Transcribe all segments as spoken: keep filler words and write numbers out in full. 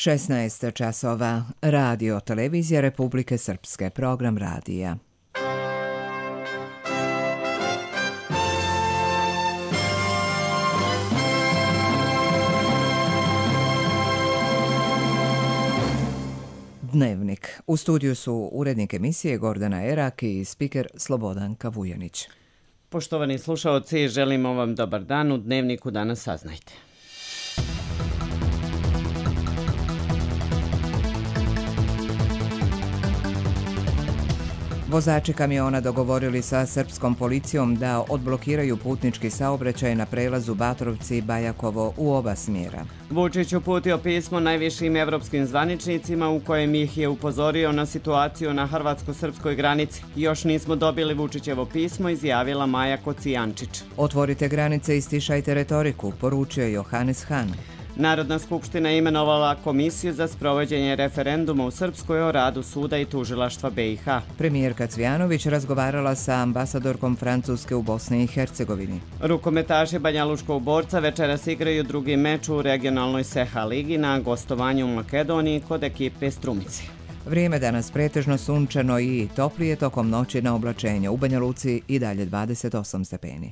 šesnaest časova. Radio Televizija Republike Srpske. Program radija. Dnevnik. U studiju su urednik emisije Gordana Erak i spiker Slobodanka Vujanić. Poštovani slušaoci, želimo vam dobar dan. U Dnevniku danas saznajte. Vozači kamiona dogovorili sa srpskom policijom da odblokiraju putnički saobraćaj na prelazu Batrovci-Bajakovo u oba smjera. Vučić uputio pismo najvišim evropskim zvaničnicima u kojem ih je upozorio na situaciju na hrvatsko-srpskoj granici. Još nismo dobili Vučićevo pismo, izjavila Maja Kocijančić. Otvorite granice i stišajte retoriku, poručio Johannes Hahn. Narodna skupština je imenovala komisiju za sprovođenje referenduma u Srpskoj o radu suda i tužilaštva B i H. Premijerka Cvjanović razgovarala sa ambasadorkom Francuske u Bosni i Hercegovini. Rukometaši Banjaluškog Borca večeras igraju drugi meč u regionalnoj S E H A ligi na gostovanju u Makedoniji kod ekipe Strumice. Vrijeme danas pretežno sunčano i toplije, tokom noći na oblačenje. U Banja Luci i dalje dvadeset osam stepeni.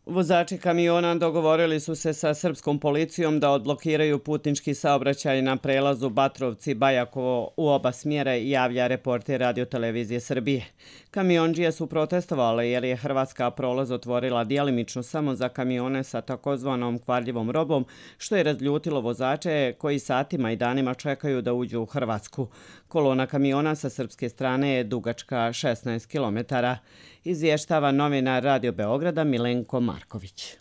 Vozači kamiona dogovorili su se sa srpskom policijom da odblokiraju putnički saobraćaj na prelazu Batrovci-Bajakovo u oba smjera, javlja reporter Radio Televizije Srbije. Kamiondžije su protestovale jer je Hrvatska prolaz otvorila djelimično samo za kamione sa takozvanom kvarljivom robom, što je razljutilo vozače koji satima i danima čekaju da uđu u Hrvatsku. Kolona kamiona sa srpske strane je dugačka šesnaest kilometara. Izvještava novinar Radio Beograda Milenko Marković.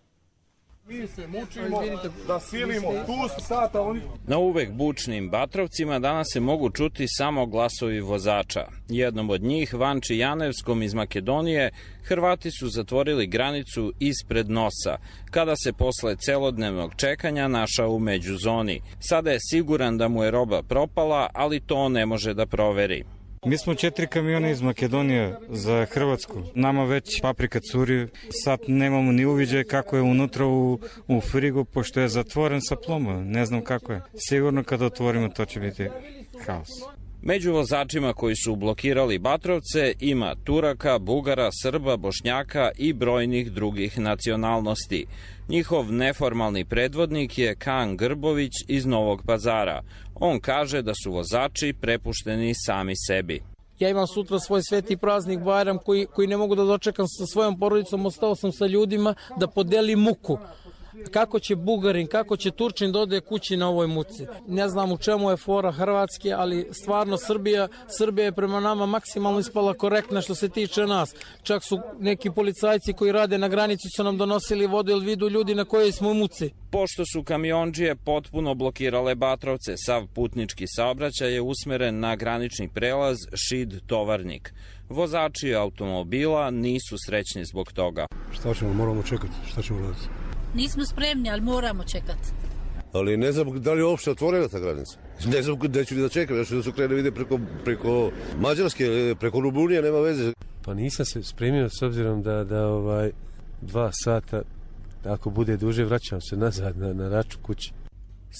Mi se mučimo da silimo tu sata oni... Na uvek bučnim Batrovcima danas se mogu čuti samo glasovi vozača. Jednom od njih, Vanči Janevskom iz Makedonije, Hrvati su zatvorili granicu ispred nosa, kada se posle celodnevnog čekanja našao u međuzoni. Sada je siguran da mu je roba propala, ali to ne može da proveri. Mi smo četiri kamiona iz Makedonije za Hrvatsku. Nama već paprika curi. Sad nemamo ni uviđaj kako je unutra u, u frigu, pošto je zatvoren sa plomom. Ne znam kako je. Sigurno kada otvorimo to će biti haos. Među vozačima koji su blokirali Batrovce ima Turaka, Bugara, Srba, Bošnjaka i brojnih drugih nacionalnosti. Njihov neformalni predvodnik je Kan Grbović iz Novog Pazara. On kaže da su vozači prepušteni sami sebi. Ja imam sutra svoj sveti praznik Bajram koji, koji ne mogu da dočekam sa svojom porodicom. Ostao sam sa ljudima da podelim muku. Kako će Bugarin, kako će Turčin da ode kući na ovoj muci. Ne znam u čemu je fora Hrvatske, ali stvarno Srbija, Srbija je prema nama maksimalno ispala korektna što se tiče nas. Čak su neki policajci koji rade na granici su nam donosili vodu ili vidu ljudi na kojoj smo u muci. Pošto su kamiondžije potpuno blokirale Batrovce, sav putnički saobraćaj je usmeren na granični prelaz Šid-Tovarnik. Vozači automobila nisu srećni zbog toga. Šta ćemo, moramo čekati, šta ćemo raditi? Nismo spremni, ali moramo čekati. Ali ne znam da li je uopšte otvorena ta granica. Ne znam gdje ću li da čekam, još da su krene vide preko, preko Mađarske, preko Rumunije, nema veze. Pa nisam se spremio s obzirom da, da ovaj, dva sata, ako bude duže, vraćam se nazad na, na račun kući.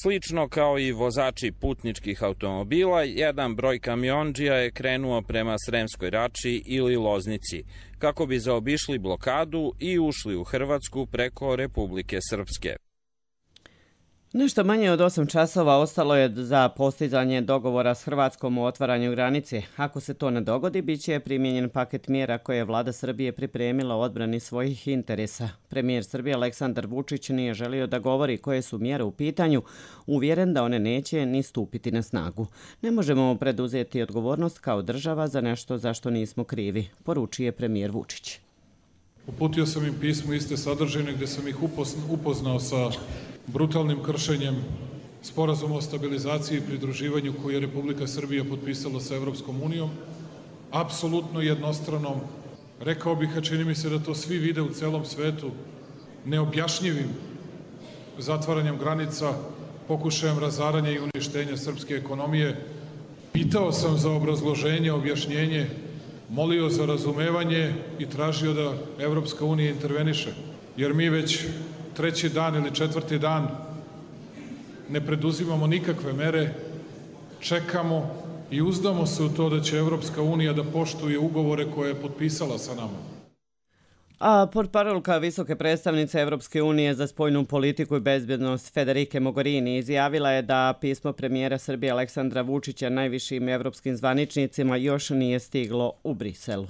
Slično kao i vozači putničkih automobila, jedan broj kamiondžija je krenuo prema Sremskoj Rači ili Loznici, kako bi zaobišli blokadu i ušli u Hrvatsku preko Republike Srpske. Nešto manje od osam časova ostalo je za postizanje dogovora s Hrvatskom o otvaranju granice. Ako se to ne dogodi, bit će primijenjen paket mjera koje je vlada Srbije pripremila u odbrani svojih interesa. Premijer Srbije Aleksandar Vučić nije želio da govori koje su mjere u pitanju, uvjeren da one neće ni stupiti na snagu. Ne možemo preduzeti odgovornost kao država za nešto za što nismo krivi, poručuje premijer Vučić. Uputio sam im pismo iste sadržine gdje sam ih upoznao sa brutalnim kršenjem Sporazuma o stabilizaciji i pridruživanju koji je Republika Srbija potpisala sa Evropskom unijom, apsolutno jednostranom, rekao bih, a čini mi se da to svi vide u celom svetu, neobjašnjivim zatvaranjem granica, pokušajem razaranja i uništenja srpske ekonomije. Pitao sam za obrazloženje, objašnjenje, molio za razumevanje i tražio da Evropska unija interveniše, jer mi već treći dan ili četvrti dan ne preduzimamo nikakve mere, čekamo i uzdamo se u to da će Evropska unija da poštuje ugovore koje je potpisala sa nama. A portparolka visoke predstavnice Evropske unije za spoljnu politiku i bezbjednost Federike Mogherini izjavila je da pismo premijera Srbije Aleksandra Vučića najvišim evropskim zvaničnicima još nije stiglo u Briselu.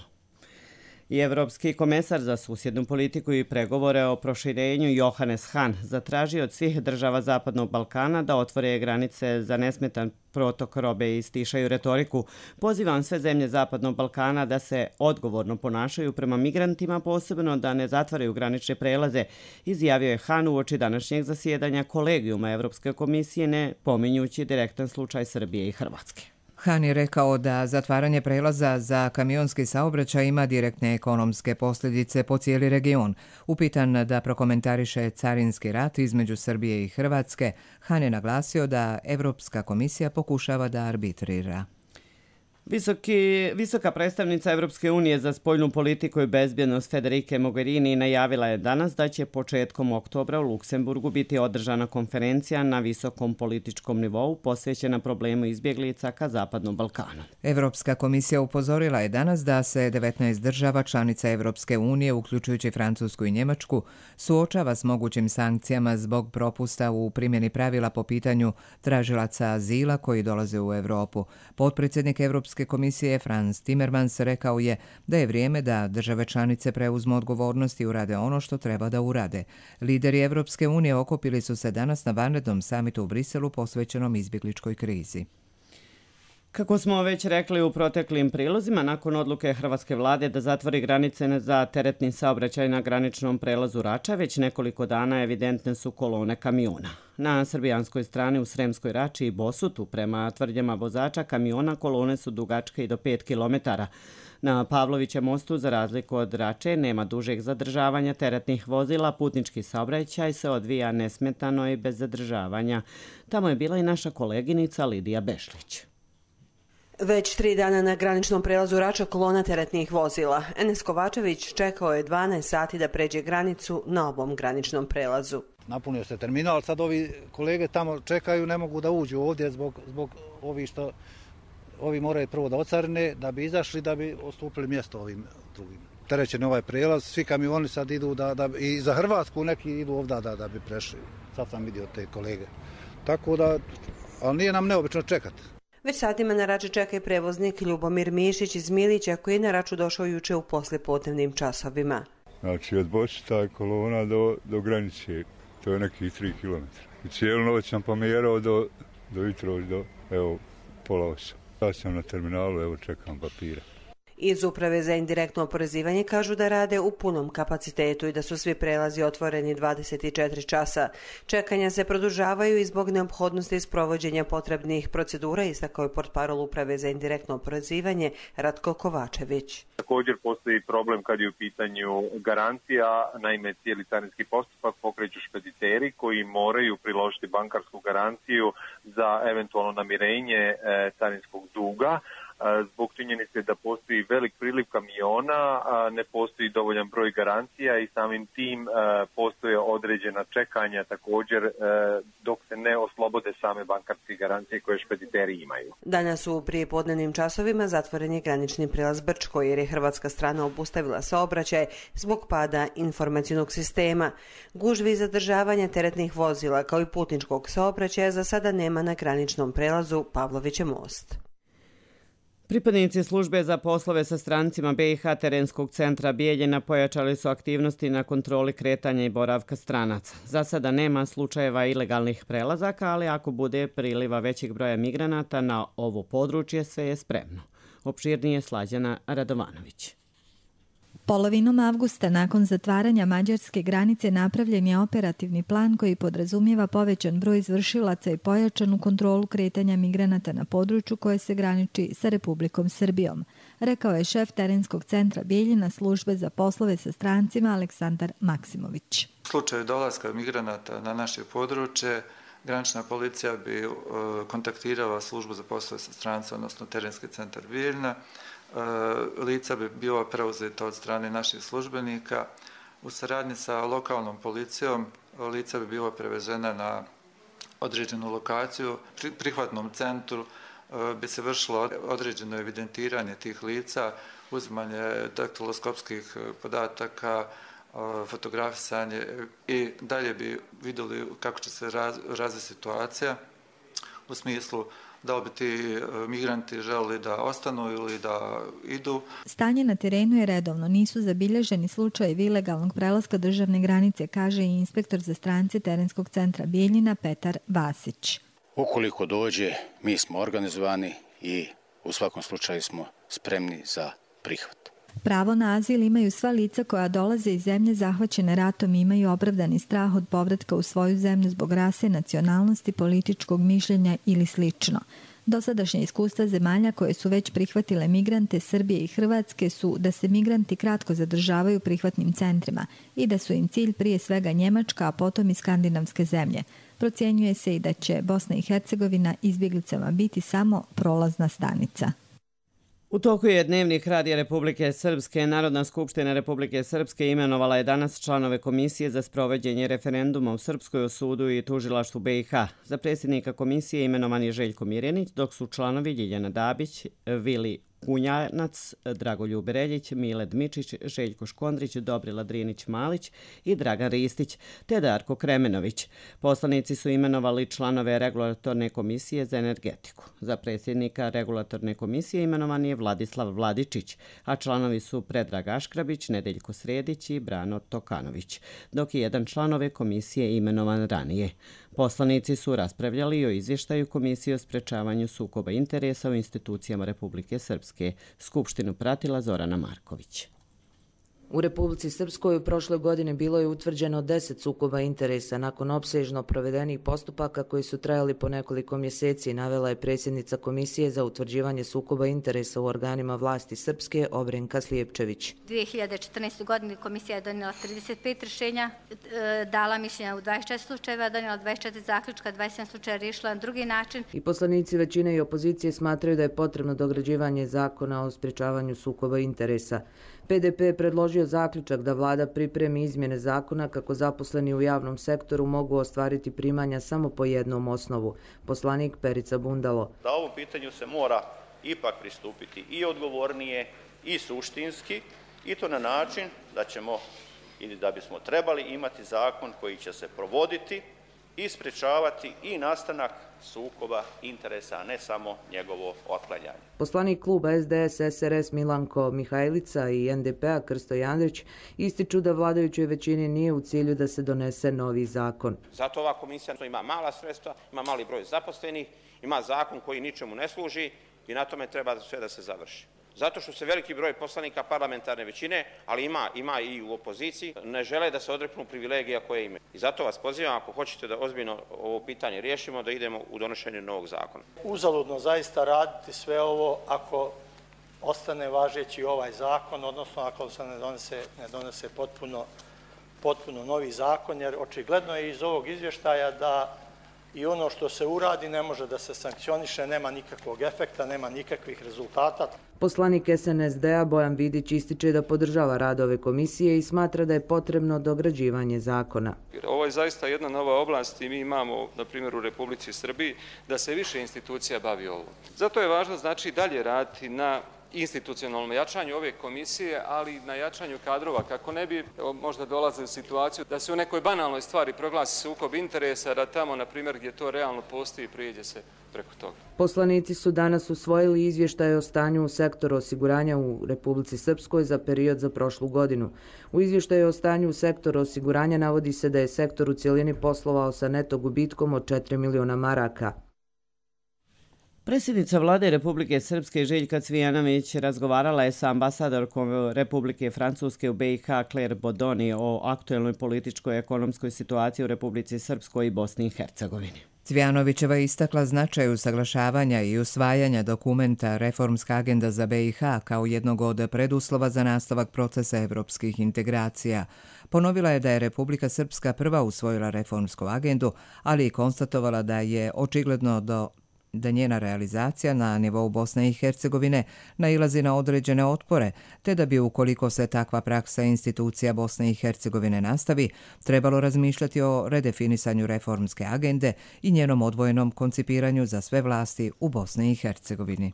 I Evropski komesar za susjednu politiku i pregovore o proširenju Johannes Hahn zatražio od svih država Zapadnog Balkana da otvore granice za nesmetan protok robe i stišaju retoriku. Pozivam sve zemlje Zapadnog Balkana da se odgovorno ponašaju prema migrantima, posebno da ne zatvaraju granične prelaze, izjavio je Hahn uoči današnjeg zasjedanja kolegijuma Evropske komisije, ne pominjući direktan slučaj Srbije i Hrvatske. Hahn je rekao da zatvaranje prelaza za kamionski saobraćaj ima direktne ekonomske posljedice po cijeli region. Upitan da prokomentariše carinski rat između Srbije i Hrvatske, Hahn je naglasio da Evropska komisija pokušava da arbitrira. Visoki, visoka predstavnica Evropske unije za spoljnu politiku i bezbjednost Federike Mogherini najavila je danas da će početkom oktobra u Luksemburgu biti održana konferencija na visokom političkom nivou posvećena problemu izbjeglica ka Zapadnom Balkanu. Evropska komisija upozorila je danas da se devetnaest država članica Evropske unije, uključujući Francusku i Njemačku, suočava s mogućim sankcijama zbog propusta u primjeni pravila po pitanju tražilaca azila koji dolaze u Europu. Potpredsjednik Evropske komisije Frans Timmermans rekao je da je vrijeme da države članice preuzmu odgovornost i urade ono što treba da urade. Lideri Evropske unije okupili su se danas na vanrednom samitu u Briselu posvećenom izbjegličkoj krizi. Kako smo već rekli u proteklim prilozima, nakon odluke hrvatske vlade da zatvori granice za teretni saobraćaj na graničnom prelazu Rača, već nekoliko dana evidentne su kolone kamiona. Na srbijanskoj strani u Sremskoj Rači i Bosutu, prema tvrdnjama vozača kamiona, kolone su dugačke i do pet kilometara. Na Pavlovićem mostu, za razliku od Rače, nema dužeg zadržavanja teretnih vozila, putnički saobraćaj se odvija nesmetano i bez zadržavanja. Tamo je bila i naša koleginica Lidija Bešlić. Već tri dana na graničnom prelazu Rača kolona teretnih vozila. Enes Kovačević čekao je dvanaest sati da pređe granicu na ovom graničnom prelazu. Napunio se terminal, sad ovi kolege tamo čekaju, ne mogu da uđu ovdje zbog, zbog ovi što ovi moraju prvo da ocarine, da bi izašli, da bi ostupili mjesto ovim drugim. Terećen ovaj prelaz, svi kamioni sad idu da, da i za Hrvatsku neki idu ovdje da, da bi prešli. Sad sam vidio te kolege. Tako da, ali nije nam neobično čekati. Već satima na Rači čeka i prevoznik Ljubomir Mišić iz Milića koji je na Raču došao juče u poslijepodnevnim časovima. Znači od Bosita kolona do, do granice, to je nekih tri kilometra. I cijelu noć sam pomjerao do, do jutro, do evo, pola osam. Ja sam na terminalu, evo čekam papira. Iz Uprave za indirektno oporezivanje kažu da rade u punom kapacitetu i da su svi prelazi otvoreni dvadeset četiri časa. Čekanja se produžavaju i zbog neophodnosti sprovođenja potrebnih procedura, istakao je portparol Uprave za indirektno oporezivanje Ratko Kovačević. Također postoji problem kad je u pitanju garancija, naime cijeli carinski postupak pokreću špediteri koji moraju priložiti bankarsku garanciju za eventualno namirenje e, carinskog duga. Zbog činjenice da postoji velik priliv kamiona, ne postoji dovoljan broj garancija i samim tim postoje određena čekanja također dok se ne oslobode same bankarske garancije koje špediteri imaju. Danas u prijepodnevnim časovima zatvoren je granični prijelaz Brčko jer je hrvatska strana obustavila saobraćaj zbog pada informacionog sistema. Gužvi i zadržavanja teretnih vozila kao i putničkog saobraćaja za sada nema na graničnom prelazu Pavlovićev most. Pripadnici službe za poslove sa strancima B i H terenskog centra Bijeljina pojačali su aktivnosti na kontroli kretanja i boravka stranaca. Za sada nema slučajeva ilegalnih prelazaka, ali ako bude priliva većeg broja migranata na ovo područje, sve je spremno. Opširnije Slađana Radovanović. Polovinom avgusta, nakon zatvaranja mađarske granice, napravljen je operativni plan koji podrazumijeva povećan broj izvršilaca i pojačanu kontrolu kretanja migranata na području koje se graniči sa Republikom Srbijom, rekao je šef terenskog centra Bijeljina službe za poslove sa strancima Aleksandar Maksimović. U slučaju dolaska migranata na naše područje, granična policija bi kontaktirala službu za poslove sa strancima, odnosno terenski centar Bijeljina. Lica bi bila preuzeta od strane naših službenika. U saradnji sa lokalnom policijom lica bi bila prevezena na određenu lokaciju. Pri prihvatnom centru bi se vršilo određeno evidentiranje tih lica, uzimanje daktiloskopskih podataka, fotografisanje i dalje bi vidjeli kako će se raz, razviti situacija u smislu da li bi ti migranti želeli da ostanu ili da idu. Stanje na terenu je redovno, nisu zabilježeni slučajevi ilegalnog prelaska državne granice, kaže i inspektor za strance terenskog centra Bijeljina Petar Vasić. Ukoliko dođe, mi smo organizovani i u svakom slučaju smo spremni za prihvat. Pravo na azil imaju sva lica koja dolaze iz zemlje zahvaćene ratom i imaju opravdani strah od povratka u svoju zemlju zbog rase, nacionalnosti, političkog mišljenja ili slično. Dosadašnje iskustva zemalja koje su već prihvatile migrante Srbije i Hrvatske su da se migranti kratko zadržavaju u prihvatnim centrima i da su im cilj prije svega Njemačka, a potom i skandinavske zemlje. Procjenjuje se i da će Bosna i Hercegovina izbjeglicama biti samo prolazna stanica. U toku je Dnevnik Radija Republike Srpske. Narodna skupština Republike Srpske imenovala je danas članove komisije za sprovođenje referenduma u Srpskoj o sudu i tužilaštvu B i H. Za predsjednika komisije imenovan je Željko Mirjanić, dok su članovi Ljiljana Dabić, Vili Kunjanac, Dragoljub Reljić, Mile Dmičić, Željko Škondrić, Dobrila Drinić-Malić i Dragan Ristić, te Darko Kremenović. Poslanici su imenovali članove Regulatorne komisije za energetiku. Za predsjednika Regulatorne komisije imenovan je Vladislav Vladičić, a članovi su Predrag Aškrabić, Nedeljko Sredić i Brano Tokanović, dok je jedan članove komisije imenovan ranije. Poslanici su raspravljali o izvještaju Komisije o sprečavanju sukoba interesa u institucijama Republike Srpske. Skupštinu pratila Zorana Marković. U Republici Srpskoj u prošloj godini bilo je utvrđeno deset sukoba interesa nakon opsežno provedenih postupaka koji su trajali po nekoliko mjeseci, navela je predsjednica Komisije za utvrđivanje sukoba interesa u organima vlasti Srpske Obrenka Slijepčević. dvije hiljade četrnaeste. godine komisija je donijela trideset pet rješenja, dala mišljenja u dvadeset četiri slučajeva, donijela dvadeset četiri zaključka, dvadeset sedam slučajeva riješila na drugi način. I poslanici većine i opozicije smatraju da je potrebno dograđivanje zakona o sprečavanju sukoba interesa. P D P je predložio zaključak da vlada pripremi izmjene zakona kako zaposleni u javnom sektoru mogu ostvariti primanja samo po jednom osnovu. Poslanik Perica Bundalo. Da ovom pitanju se mora ipak pristupiti i odgovornije i suštinski i to na način da ćemo ili da bismo trebali imati zakon koji će se provoditi i sprečavati i nastanak sukoba interesa, a ne samo njegovo otklanjanje. Poslanik kluba S D S S R S Milanko Mihajlica i N D P-a Krsto Jandrić ističu da vladajućoj većini nije u cilju da se donese novi zakon. Zato ova komisija ima mala sredstva, ima mali broj zaposlenih, ima zakon koji ničemu ne služi i na tome treba sve da se završi. Zato što se veliki broj poslanika parlamentarne većine, ali ima, ima i u opoziciji, ne žele da se odreknu privilegija koje imaju. I zato vas pozivam, ako hoćete da ozbiljno ovo pitanje riješimo, da idemo u donošenje novog zakona. Uzaludno zaista raditi sve ovo ako ostane važeći ovaj zakon, odnosno ako se ne donese, ne donese potpuno, potpuno novi zakon, jer očigledno je iz ovog izvještaja da i ono što se uradi ne može da se sankcioniše, nema nikakvog efekta, nema nikakvih rezultata. Poslanik S N S D-a Bojan Vidić ističe da podržava rad ove komisije i smatra da je potrebno dograđivanje zakona. Ovo je zaista jedna nova oblast i mi imamo, na primjer, u Republici Srbiji da se više institucija bavi ovo. Zato je važno, znači, dalje raditi na institucionalnom jačanju ove komisije, ali na jačanju kadrova, kako ne bi možda dolazili u situaciju da se u nekoj banalnoj stvari proglasi sukob interesa, da tamo, na primjer, gdje to realno postoji, prijeđe se preko toga. Poslanici su danas usvojili izvještaj o stanju u sektoru osiguranja u Republici Srpskoj za period za prošlu godinu. U izvještaju o stanju u sektoru osiguranja navodi se da je sektor u cijelini poslovao sa neto gubitkom od četiri miliona maraka. Predsjednica vlade Republike Srpske Željka Cvijanović razgovarala je sa ambasadorkom Republike Francuske u B i H Claire Bodoni o aktuelnoj političkoj i ekonomskoj situaciji u Republici Srpskoj i Bosni i Hercegovini. Cvijanovićeva je istakla značaj usaglašavanja i usvajanja dokumenta Reformska agenda za B i H kao jednog od preduslova za nastavak procesa evropskih integracija. Ponovila je da je Republika Srpska prva usvojila reformsku agendu, ali i konstatovala da je očigledno do da njena realizacija na nivou Bosne i Hercegovine nailazi na određene otpore, te da bi ukoliko se takva praksa institucija Bosne i Hercegovine nastavi, trebalo razmišljati o redefinisanju reformske agende i njenom odvojenom koncipiranju za sve vlasti u Bosni i Hercegovini.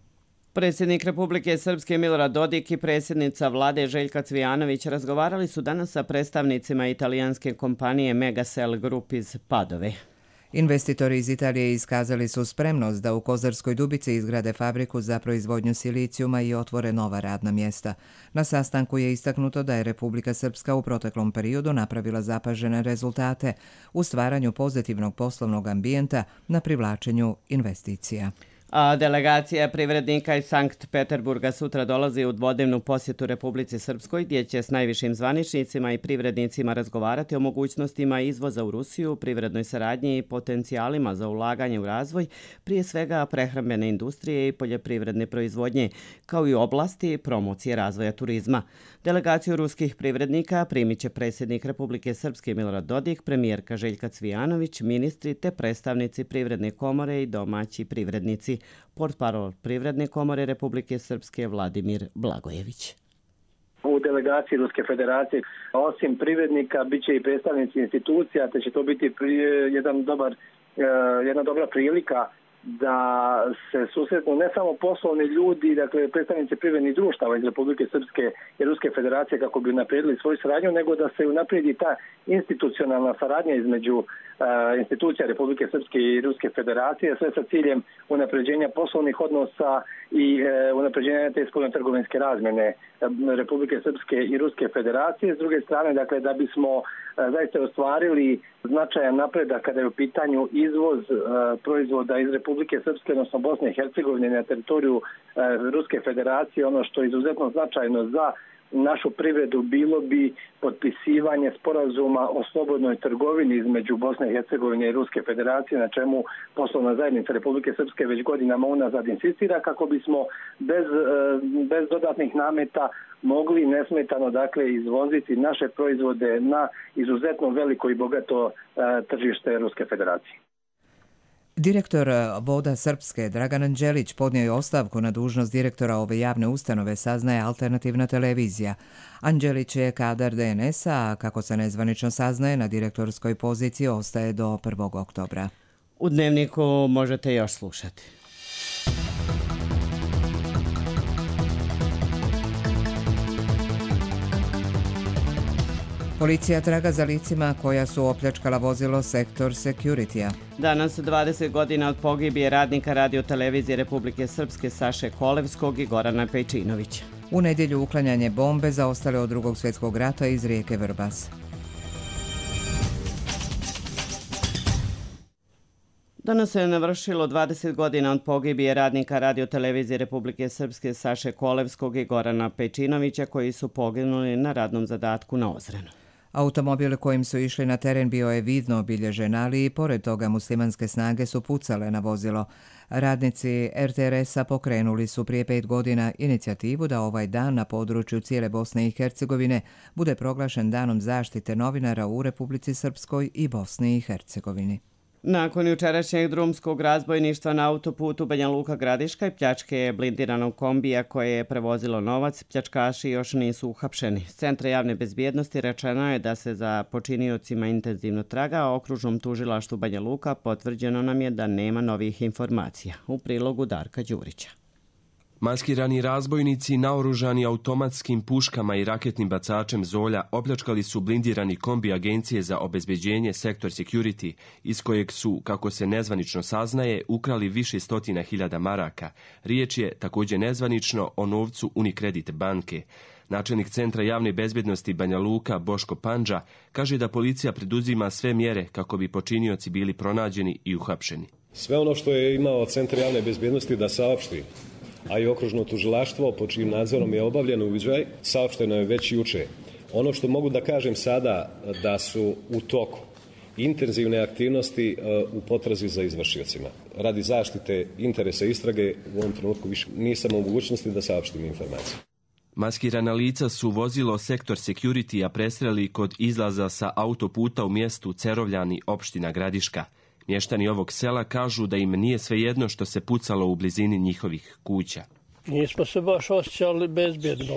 Predsjednik Republike Srpske Milorad Dodik i predsjednica vlade Željka Cvijanović razgovarali su danas sa predstavnicima italijanske kompanije Megacell Group iz Padove. Investitori iz Italije iskazali su spremnost da u Kozarskoj Dubici izgrade fabriku za proizvodnju silicijuma i otvore nova radna mjesta. Na sastanku je istaknuto da je Republika Srpska u proteklom periodu napravila zapažene rezultate u stvaranju pozitivnog poslovnog ambijenta na privlačenju investicija. A delegacija privrednika iz Sankt Peterburga sutra dolazi u dvodnevnu posjetu Republici Srpskoj, gdje će s najvišim zvaničnicima i privrednicima razgovarati o mogućnostima izvoza u Rusiju, privrednoj saradnji i potencijalima za ulaganje u razvoj, prije svega prehrambene industrije i poljoprivredne proizvodnje, kao i oblasti promocije razvoja turizma. Delegaciju ruskih privrednika primit će predsjednik Republike Srpske Milorad Dodik, premijerka Željka Cvijanović, ministri te predstavnici Privredne komore i domaći privrednici. Portparol Privredne komore Republike Srpske Vladimir Blagojević. U delegaciji Ruske federacije, osim privrednika, bit će i predstavnici institucija, te će to biti jedan dobar, jedna dobra prilika da se susretnu ne samo poslovni ljudi, dakle predstavnici privrednih društava iz Republike Srpske i Ruske federacije kako bi unaprijedili svoju saradnju, nego da se unaprijedi ta institucionalna saradnja između uh, institucija Republike Srpske i Ruske federacije, sve sa ciljem unapređenja poslovnih odnosa i uh, unapređenja te spoljno-trgovinske razmjene uh, Republike Srpske i Ruske federacije. S druge strane, dakle, da bismo uh, zaista ostvarili značajan napredak kada je u pitanju izvoz uh, proizvoda iz Republike Srpske, odnosno Bosne i Hercegovine na teritoriju uh, Ruske federacije, ono što je izuzetno značajno za našu privredu bilo bi potpisivanje sporazuma o slobodnoj trgovini između Bosne i Hercegovine i Ruske federacije, na čemu poslovna zajednica Republike Srpske već godinama unazad insistira, kako bismo bez, bez dodatnih nameta mogli nesmetano dakle izvoziti naše proizvode na izuzetno veliko i bogato tržište Ruske federacije. Direktor Voda Srpske Dragan Anđelić podnio je ostavku na dužnost direktora ove javne ustanove, saznaje Alternativna televizija. Anđelić je kadar D N S-a, a kako se nezvanično saznaje, na direktorskoj poziciji ostaje do prvog oktobra. U Dnevniku možete još slušati. Policija traga za licima koja su opljačkala vozilo Sektor Security-a. Danas dvadeset godina od pogibije radnika radiotelevizije Republike Srpske Saše Kolevskog i Gorana Pejčinovića. U nedjelju uklanjanje bombe zaostale od drugog svjetskog rata iz rijeke Vrbas. Danas se navršilo dvadeset godina od pogibije radnika radiotelevizije Republike Srpske Saše Kolevskog i Gorana Pejčinovića, koji su poginuli na radnom zadatku na Ozrenu. Automobil kojim su išli na teren bio je vidno obilježen, ali i pored toga muslimanske snage su pucale na vozilo. Radnici R T R S-a pokrenuli su prije pet godina inicijativu da ovaj dan na području cijele Bosne i Hercegovine bude proglašen danom zaštite novinara u Republici Srpskoj i Bosni i Hercegovini. Nakon jučerašnjeg drumskog razbojništva na autoputu Banja Luka Gradiška i pljačke blindiranog kombija koje je prevozilo novac, pljačkaši još nisu uhapšeni. S Centra javne bezbjednosti rečeno je da se za počiniocima intenzivno traga, a okružnom tužilaštvu Banja Luka potvrđeno nam je da nema novih informacija. U prilogu Darka Đurića. Maskirani razbojnici naoružani automatskim puškama i raketnim bacačem Zolja opljačkali su blindirani kombi Agencije za obezbeđenje Sektor Security, iz kojeg su, kako se nezvanično saznaje, ukrali više stotina hiljada maraka. Riječ je također nezvanično o novcu Unicredit banke. Načelnik Centra javne bezbjednosti Banja Luka Boško Pandža kaže da policija preduzima sve mjere kako bi počinioci bili pronađeni i uhapšeni. Sve ono što je imao Centar javne bezbjednosti da saopšti, a i okružno tužilaštvo po čijim nadzorom je obavljen uviđaj, saopšteno je već juče. Ono što mogu da kažem sada, da su u toku intenzivne aktivnosti u potrazi za izvršiocima. Radi zaštite interesa istrage u ovom trenutku više nisam u mogućnosti da saopštim informaciju. Maskirana lica su vozilo Sektor Security-a presreli kod izlaza sa autoputa u mjestu Cerovljani, opština Gradiška. Mještani ovog sela kažu da im nije svejedno što se pucalo u blizini njihovih kuća. Nismo se baš osjećali bezbjedno.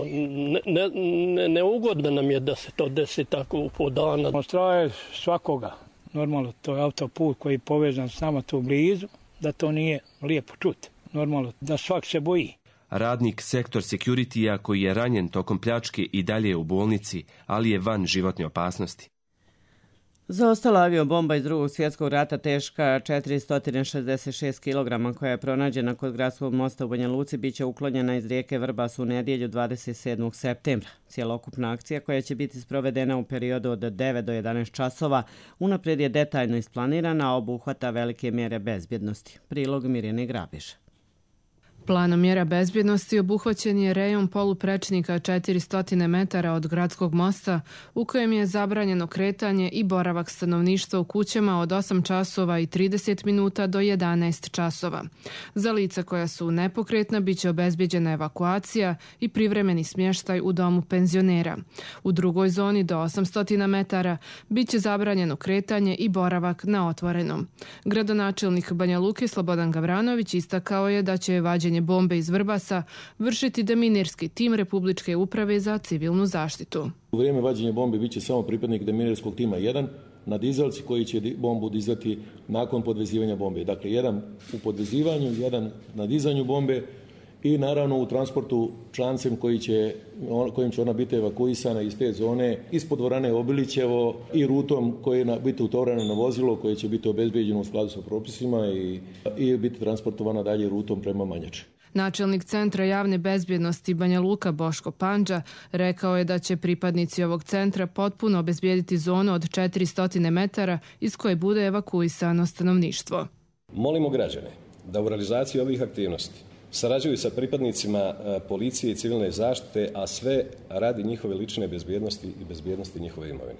Ne, ne, neugodno nam je da se to desi tako po dana. Straje svakoga. Normalno, to je autoput koji je povezan s nama tu blizu, da to nije lijepo čuti. Normalno, da svak se boji. Radnik sektor security-a koji je ranjen tokom pljačke i dalje je u bolnici, ali je van životne opasnosti. Zaostala aviobomba iz drugog svjetskog rata teška četiristo šezdeset šest kilograma koja je pronađena kod gradskog mosta u Banja Luci biće uklonjena iz rijeke Vrbas u nedjelju dvadeset sedmog septembra. Cijelokupna akcija koja će biti sprovedena u periodu od devet do jedanaest časova unaprijed je detaljno isplanirana, a obuhvata velike mjere bezbjednosti. Prilog Mirjane Grabiša. Planom mjera bezbjednosti obuhvaćen je rejon poluprečnika četiristo metara od gradskog mosta u kojem je zabranjeno kretanje i boravak stanovništva u kućama od osam časova i trideset minuta do jedanaest časova. Za lica koja su nepokretna biće obezbjeđena evakuacija i privremeni smještaj u domu penzionera. U drugoj zoni do osamsto metara biće zabranjeno kretanje i boravak na otvorenom. Gradonačelnik Banja Luke Slobodan Gavranović istakao je da će vađenje bombe iz Vrbasa vršiti deminirski tim Republičke uprave za civilnu zaštitu. U vrijeme vađenja bombe biće samo pripadnik deminirskog tima jedan na dizalci koji će bombu dizati nakon podvezivanja bombe. Dakle, jedan u podvezivanju, jedan na dizanju bombe i naravno u transportu člancem koji će, kojim će ona biti evakuisana iz te zone ispod dvorane Obilićevo i rutom koje će biti utovareno na vozilo koje će biti obezbeđeno u skladu sa propisima i, i biti transportovana dalje rutom prema Manjači. Načelnik Centra javne bezbjednosti Banja Luka Boško Pandža rekao je da će pripadnici ovog centra potpuno obezbijediti zonu od četiristo metara iz koje bude evakuisano stanovništvo. Molimo građane da u realizaciji ovih aktivnosti sarađuju sa pripadnicima policije i civilne zaštite, a sve radi njihove lične bezbjednosti i bezbjednosti njihove imovine.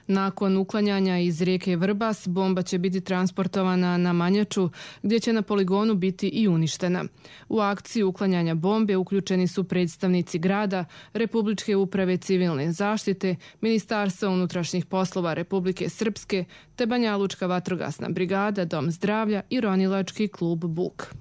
Nakon uklanjanja iz rijeke Vrbas, bomba će biti transportovana na Manjaču, gdje će na poligonu biti i uništena. U akciji uklanjanja bombe uključeni su predstavnici grada, Republičke uprave civilne zaštite, Ministarstva unutrašnjih poslova Republike Srpske, te Banjalučka vatrogasna brigada, Dom zdravlja i ronilački klub Buk.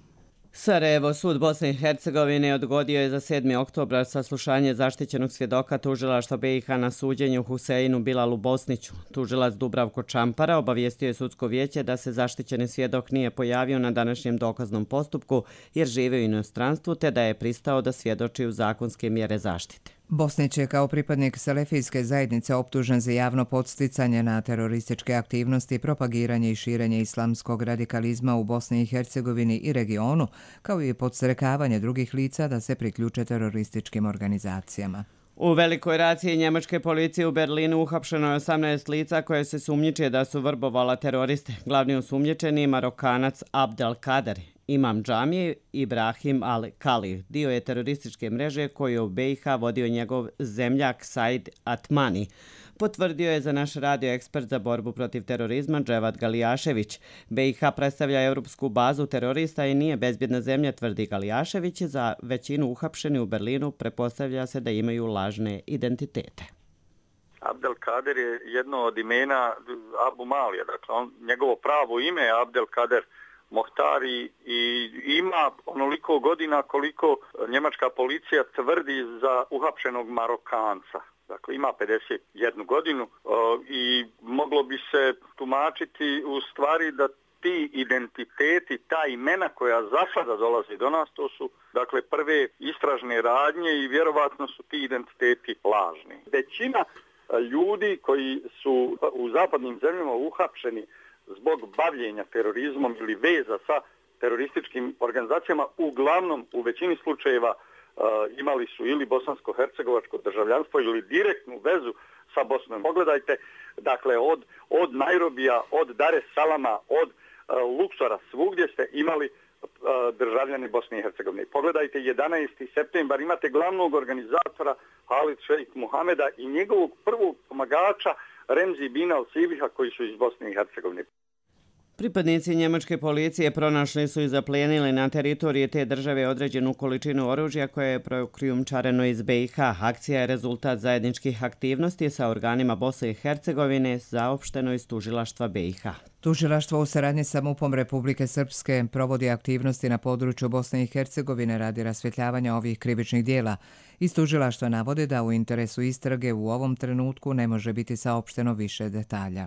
Sarajevo, sud Bosne i Hercegovine odgodio je za sedmi oktobar saslušanje zaštićenog svjedoka tužilaštva B i H na suđenju Huseinu Bilalu Bosniću. Tužilac Dubravko Čampara obavijestio je sudsko vijeće da se zaštićeni svjedok nije pojavio na današnjem dokaznom postupku jer žive u inostranstvu te da je pristao da svjedoči u zakonske mjere zaštite. Bosnić je kao pripadnik selefijske zajednice optužen za javno podsticanje na terorističke aktivnosti, propagiranje i širenje islamskog radikalizma u Bosni i Hercegovini i regionu, kao i podstrekavanje drugih lica da se priključe terorističkim organizacijama. U velikoj raciji njemačke policije u Berlinu uhapšeno je osamnaest lica koje se sumnjiče da su vrbovala teroriste. Glavni osumnjičeni Marokanac Abdel Kader, imam džamije Ibrahim al-Kali, dio je terorističke mreže koju je u B i H vodio njegov zemljak Said Atmani. Potvrdio je za naš radio ekspert za borbu protiv terorizma Dževad Galijašević. B i H predstavlja europsku bazu terorista i nije bezbjedna zemlja, tvrdi Galijašević. Za većinu uhapšeni u Berlinu prepostavlja se da imaju lažne identitete. Abdel Kader je jedno od imena Abu Malija, dakle on, njegovo pravo ime je Abdel Kader Mohtari i ima onoliko godina koliko njemačka policija tvrdi za uhapšenog Marokanca. Dakle, ima pedeset jednu godinu i moglo bi se tumačiti u stvari da ti identiteti, ta imena koja za sada dolazi do nas, to su dakle prve istražne radnje i vjerovatno su ti identiteti lažni. Većina ljudi koji su u zapadnim zemljama uhapšeni zbog bavljenja terorizmom ili veza sa terorističkim organizacijama, uglavnom u većini slučajeva uh, imali su ili bosansko-hercegovačko državljanstvo ili direktnu vezu sa Bosnom. Pogledajte, dakle, od, od Nairobija, od Dar es Salama, od uh, Luksora, svugdje ste imali uh, državljani Bosne i Hercegovine. Pogledajte, jedanaesti septembar imate glavnog organizatora Halid Šejk Muhameda i njegovog prvog pomagača Remzi Bin al-Sibiha koji su iz Bosne i Hercegovine. Pripadnici njemačke policije pronašli su i zaplijenili na teritoriji te države određenu količinu oružja koje je prokrijumčareno iz B i H. Akcija je rezultat zajedničkih aktivnosti sa organima Bosne i Hercegovine, saopšteno iz tužilaštva B i H. Tužilaštvo u saradnji sa MUP-om Republike Srpske provodi aktivnosti na području Bosne i Hercegovine radi rasvjetljavanja ovih krivičnih dijela. Iz tužilaštva navode da u interesu istrage u ovom trenutku ne može biti saopšteno više detalja.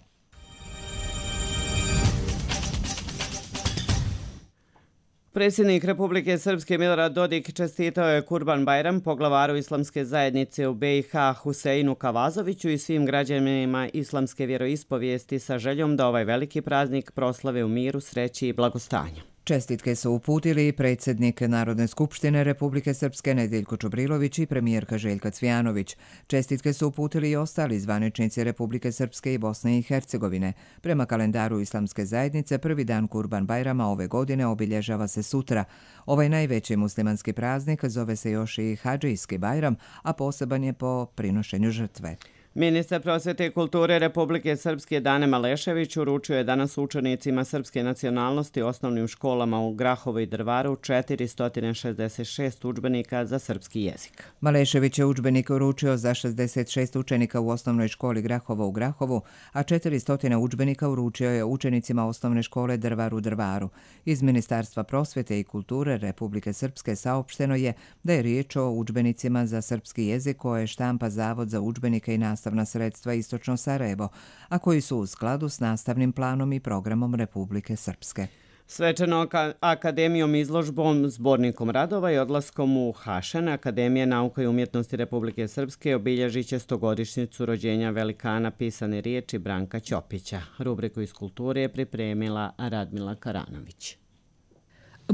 Predsjednik Republike Srpske Milorad Dodik čestitao je Kurban Bajram poglavaru islamske zajednice u B i H Huseinu Kavazoviću i svim građanima islamske vjeroispovijesti sa željom da ovaj veliki praznik proslave u miru, sreći i blagostanju. Čestitke su uputili predsjednik Narodne skupštine Republike Srpske Nedeljko Čubrilović i premijerka Željka Cvijanović. Čestitke su uputili i ostali zvaničnici Republike Srpske i Bosne i Hercegovine. Prema kalendaru islamske zajednice, prvi dan Kurban Bajrama ove godine obilježava se sutra. Ovaj najveći muslimanski praznik zove se još i Hadžijski Bajram, a poseban je po prinošenju žrtve. Ministar prosvjete i kulture Republike Srpske Dane Malešević uručio je danas učenicima srpske nacionalnosti u osnovnim školama u Grahovu i Drvaru četiristo šezdeset šest udžbenika za srpski jezik. Malešević je udžbenik uručio za šezdeset šest učenika u osnovnoj školi Grahovo u Grahovu, a četiristo udžbenika uručio je učenicima osnovne škole Drvar u Drvaru. Iz Ministarstva prosvjete i kulture Republike Srpske saopšteno je da je riječ o udžbenicima za srpski jezik koje štampa Zavod za udžbenike i nastavna sredstva Istočno Sarajevo, a koji su u skladu s nastavnim planom i programom Republike Srpske. Svečano akademijom, izložbom, zbornikom radova i odlaskom u Hašen, Akademija nauka i umjetnosti Republike Srpske obilježit će stogodišnjicu rođenja velikana pisane riječi Branka Ćopića. Rubriku iz kulture je pripremila Radmila Karanović.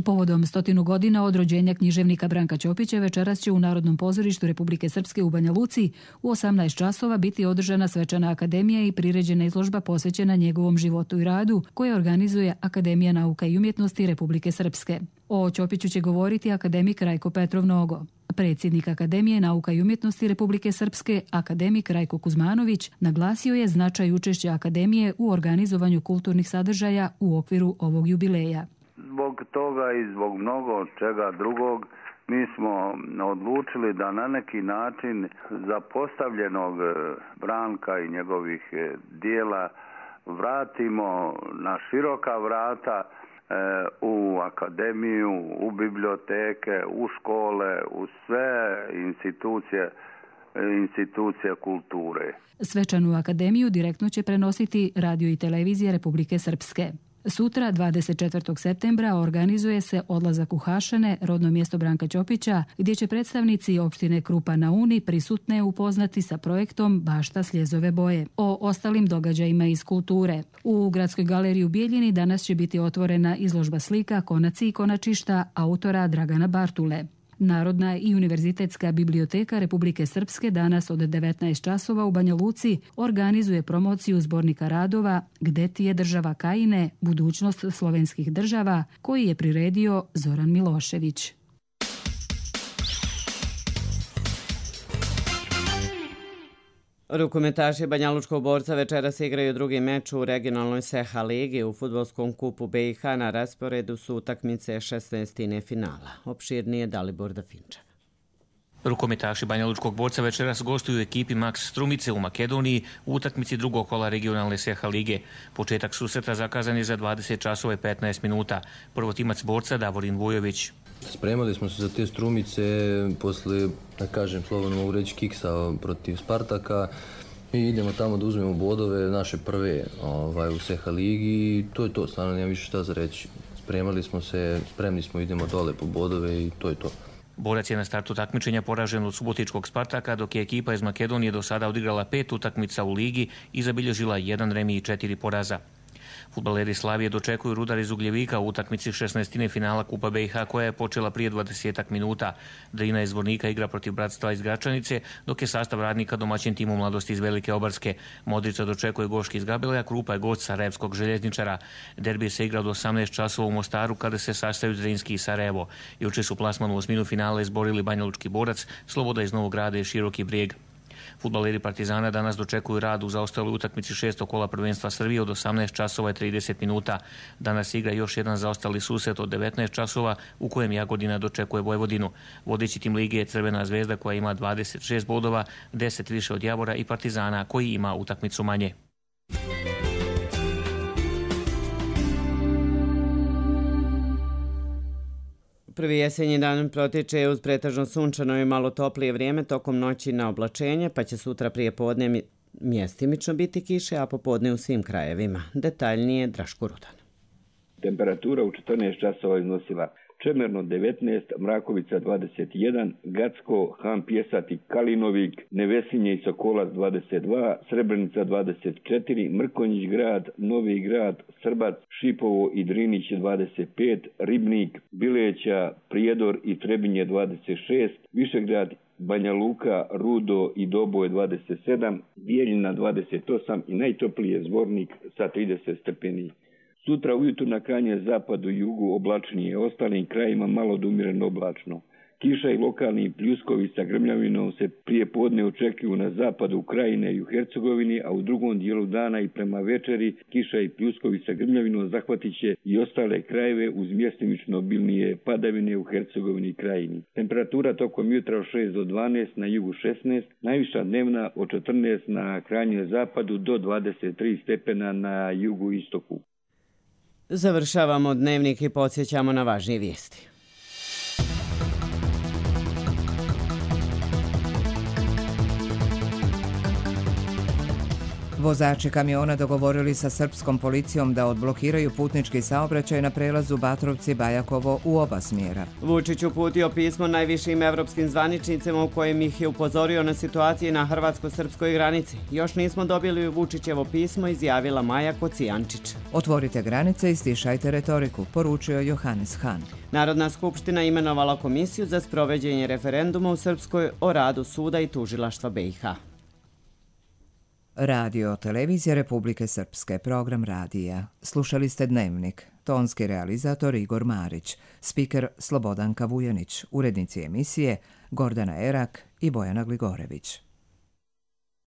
Povodom stotinu godina od rođenja književnika Branka Ćopića večeras će u Narodnom pozorištu Republike Srpske u Banja Luci u osamnaest časova biti održana svečana akademija i priređena izložba posvećena njegovom životu i radu koje organizuje Akademija nauka i umjetnosti Republike Srpske. O Ćopiću će govoriti akademik Rajko Petrov Nogo. Predsjednik Akademije nauka i umjetnosti Republike Srpske, akademik Rajko Kuzmanović, naglasio je značaj učešća Akademije u organizovanju kulturnih sadržaja u okviru ovog jubileja. Zbog toga i zbog mnogo čega drugog mi smo odlučili da na neki način zapostavljenog Branka i njegovih dijela vratimo na široka vrata u akademiju, u biblioteke, u škole, u sve institucije, institucije kulture. Svečanu akademiju direktno će prenositi radio i televizija Republike Srpske. Sutra, dvadeset četvrtog septembra, organizuje se odlazak u Hašane, rodno mjesto Branka Ćopića, gdje će predstavnici opštine Krupa na Uni prisutne upoznati sa projektom Bašta Sljezove boje. O ostalim događajima iz kulture. U Gradskoj galeriji u Bijeljini danas će biti otvorena izložba slika Konaci i konačišta autora Dragana Bartule. Narodna i univerzitetska biblioteka Republike Srpske danas od devetnaest časova u Banja Luci organizuje promociju zbornika radova Gde ti je država Kajine, budućnost slovenskih država, koji je priredio Zoran Milošević. Rukometaši Banjalučkog Borca večeras igraju drugi meč u regionalnoj S E H A ligi. U fudbalskom kupu B i H na rasporedu su utakmice šesnaestine finala. Opširnije Dalibor Dafinčev. Rukometaši Banjalučkog Borca večeras gostuju u ekipi Max Strumice u Makedoniji u utakmici drugog kola regionalne S E H A lige. Početak susreta zakazan je za dvadeset časova i petnaest minuta. Prvotimac Borca Davorin Vujović. Spremali smo se za te Strumice posle, da kažem, slobodno mogu reći, kiksa protiv Spartaka i idemo tamo da uzmemo bodove naše prve ovaj, u S E H A ligi i to je to, stvarno nema više šta za reći. Spremali smo se, spremni smo, idemo dole po bodove i to je to. Borac je na startu takmičenja poražen od subotičkog Spartaka, dok je ekipa iz Makedonije do sada odigrala pet utakmica u ligi i zabilježila jedan remi i četiri poraza. Fudbaleri Slavije dočekuju Rudar iz Ugljevika u utakmici šesnaestine finala Kupa B i H koja je počela prije dvadesetak minuta. Drina iz Zvornika igra protiv Bratstva iz Gračanice, dok je sastav Radnika domaćin timu Mladosti iz Velike Obarske. Modrica dočekuje Goški iz Gabeleja, Krupa je gost Sarajevskog Željezničara. Derbi se igra od osamnaest časova u Mostaru kada se sastaju Zrinski i Sarajevo. Juče su plasman u osminu finala izborili Banjalučki Borac, Sloboda iz Novog Grada i Široki Brijeg. Fudbaleri Partizana danas dočekuju rad u zaostaloj utakmici šestog kola prvenstva Srbije od osamnaest časova i trideset minuta. Danas igra još jedan zaostali susret od devetnaest časova u kojem Jagodina dočekuje Vojvodinu. Vodeći tim lige je Crvena zvezda koja ima dvadeset šest bodova, deset više od Javora i Partizana koji ima utakmicu manje. Prvi jesenji dan protiče uz pretežno sunčano i malo toplije vrijeme tokom noći na oblačenje, pa će sutra prije podne mjestimično biti kiše, a popodne u svim krajevima. Detaljnije Draško Rudan. Temperatura u četrnaest časova iznosila Čemerno devetnaest, Mrakovica dvadeset jedan, Gacko, Han Pjesat i Kalinovik, Nevesinje i Sokolac dvadeset dva, Srebrenica dvadeset četiri, Mrkonjić grad, Novi grad, Srbac, Šipovo i Drinić dvadeset pet, Ribnik, Bileća, Prijedor i Trebinje dvadeset šest, Višegrad, Banja Luka, Rudo i Doboj dvadeset sedam, Bijeljina dvadeset osam i najtoplije Zvornik sa trideset stepeni. Sutra ujutru na krajnjem zapadu i jugu oblačnije, ostalim krajima malo do umjereno oblačno. Kiša i lokalni pljuskovi sa grmljavinom se prije podne očekuju na zapadu Ukrajine i u Hercegovini, a u drugom dijelu dana i prema večeri kiša i pljuskovi sa grmljavinom zahvatit će i ostale krajeve uz mjestimično obilnije padavine u Hercegovini i Krajini. Temperatura tokom jutra od šest do dvanaest, na jugu šesnaest, najviša dnevna od četrnaest na krajnjem zapadu do dvadeset tri stepena na jugu istoku. Završavamo dnevnik i podsjećamo na važnije vijesti. Vozači kamiona dogovorili sa srpskom policijom da odblokiraju putnički saobraćaj na prelazu Batrovci-Bajakovo u oba smjera. Vučić uputio pismo najvišim evropskim zvaničnicima u kojem ih je upozorio na situacije na hrvatsko-srpskoj granici. Još nismo dobili Vučićevo pismo, izjavila Maja Kocijančić. Otvorite granice i stišajte retoriku, poručio Johannes Hahn. Narodna skupština imenovala komisiju za sprovođenje referenduma u Srpskoj o radu suda i tužilaštva B i H. Radio Televizija Republike Srpske, program radija. Slušali ste Dnevnik. Tonski realizator Igor Marić, spiker Slobodanka Vujanić, urednici emisije Gordana Erak i Bojana Gligorević.